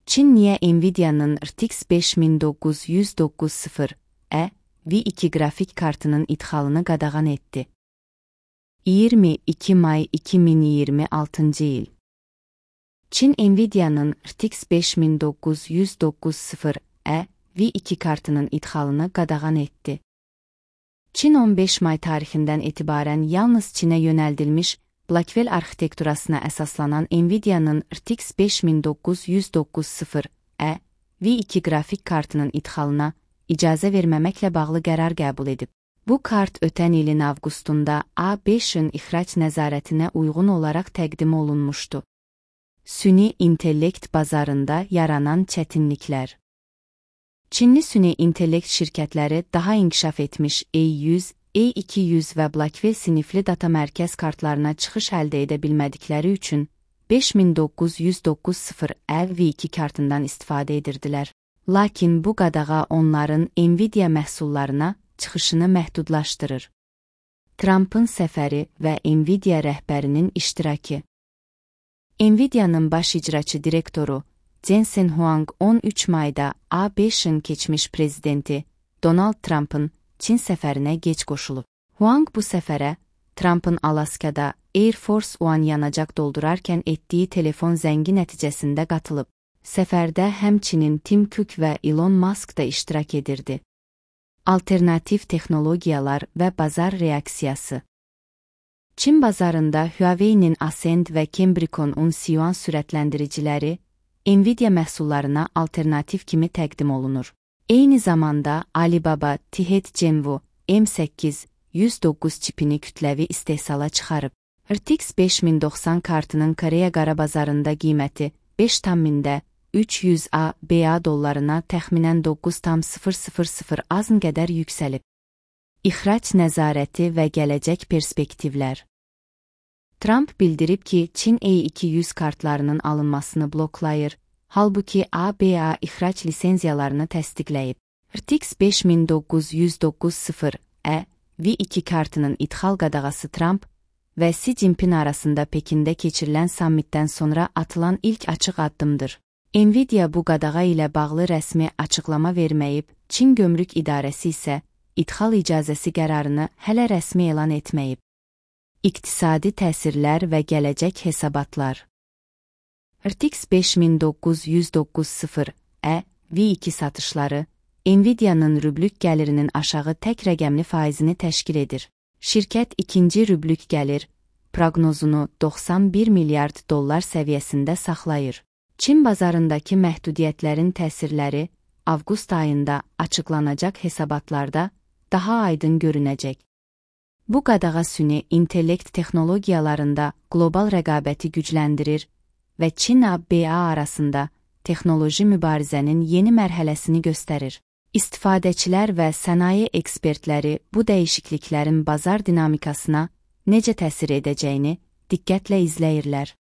Çin niyə Nvidia'nın RTX 5990E V2 qrafik kartının idxalını qadağan etdi? 22 may 2026 il. Çin Nvidia'nın RTX 5990E V2 kartının idxalını qadağan etdi. Çin 15 may tarixindən etibarən yalnız Çinə yönəldilmiş Blackwell arxitekturasına əsaslanan Nvidia'nın RTX 5990E V2 qrafik kartının idxalına icazə verməməklə bağlı qərar qəbul edib. Bu kart ötən ilin avqustunda A5-in ixrac nəzarətinə uyğun olaraq təqdim olunmuşdu. Süni intellekt bazarında yaranan çətinliklər. Çinli süni intellekt şirkətləri daha inkişaf etmiş A100, A200 və Blackwell sinifli data mərkəz kartlarına çıxış əldə edə bilmədikləri üçün 5990E V2 kartından istifadə edirdilər. Lakin bu qadağa onların Nvidia məhsullarına çıxışını məhdudlaşdırır. Trump'ın səfəri və Nvidia rəhbərinin iştirakı. Nvidia'nın baş icraçı direktoru Jensen Huang 13 mayda A5-in keçmiş prezidenti Donald Trump'ın Çin səfərinə gec qoşulub. Huang bu səfərə Trump'ın Alaskada Air Force One yanacaq doldurarkən etdiyi telefon zəngi nəticəsində qatılıb. Səfərdə həmçinin Tim Cook və Elon Musk da iştirak edirdi. Alternativ texnologiyalar və bazar reaksiyası. Çin bazarında Huawei'nin Ascend və Cambricon Uncion sürətləndiriciləri Nvidia məhsullarına alternativ kimi təqdim olunur. Eyni zamanda Alibaba Tihet Genwu M8 109 çipini kütləvi istehsala çıxarıb. RTX 5090 kartının Koreya qara bazarında qiyməti 5,300 BA dollarına təxminən 9,000 azn qədər yüksəlib. İxrac nəzarəti və gələcək perspektivlər. Trump bildirib ki, Çin A200 kartlarının alınmasını bloklayır, halbuki ABA ixrac lisenziyalarını təsdiqləyib. RTX 5990E V2 kartının idxal qadağası Trump və Xi Jinping arasında Pekində keçirilən sammitdən sonra atılan ilk açıq addımdır. Nvidia bu qadağa ilə bağlı rəsmi açıqlama verməyib, Çin Gömrük İdarəsi isə idxal icazəsi qərarını hələ rəsmi elan etməyib. İqtisadi təsirlər və gələcək hesabatlar. RTX 5990E V2 satışları Nvidia'nın rüblük gəlirinin aşağı tək rəqəmli faizini təşkil edir. Şirkət ikinci rüblük gəlir proqnozunu 91 milyard dollar səviyyəsində saxlayır. Çin bazarındakı məhdudiyyətlərin təsirləri avqust ayında açıqlanacaq hesabatlarda daha aydın görünəcək. Bu qadağa süni intellekt texnologiyalarında qlobal rəqabəti gücləndirir və Çin-BA arasında texnoloji mübarizənin yeni mərhələsini göstərir. İstifadəçilər və sənaye ekspertləri bu dəyişikliklərin bazar dinamikasına necə təsir edəcəyini diqqətlə izləyirlər.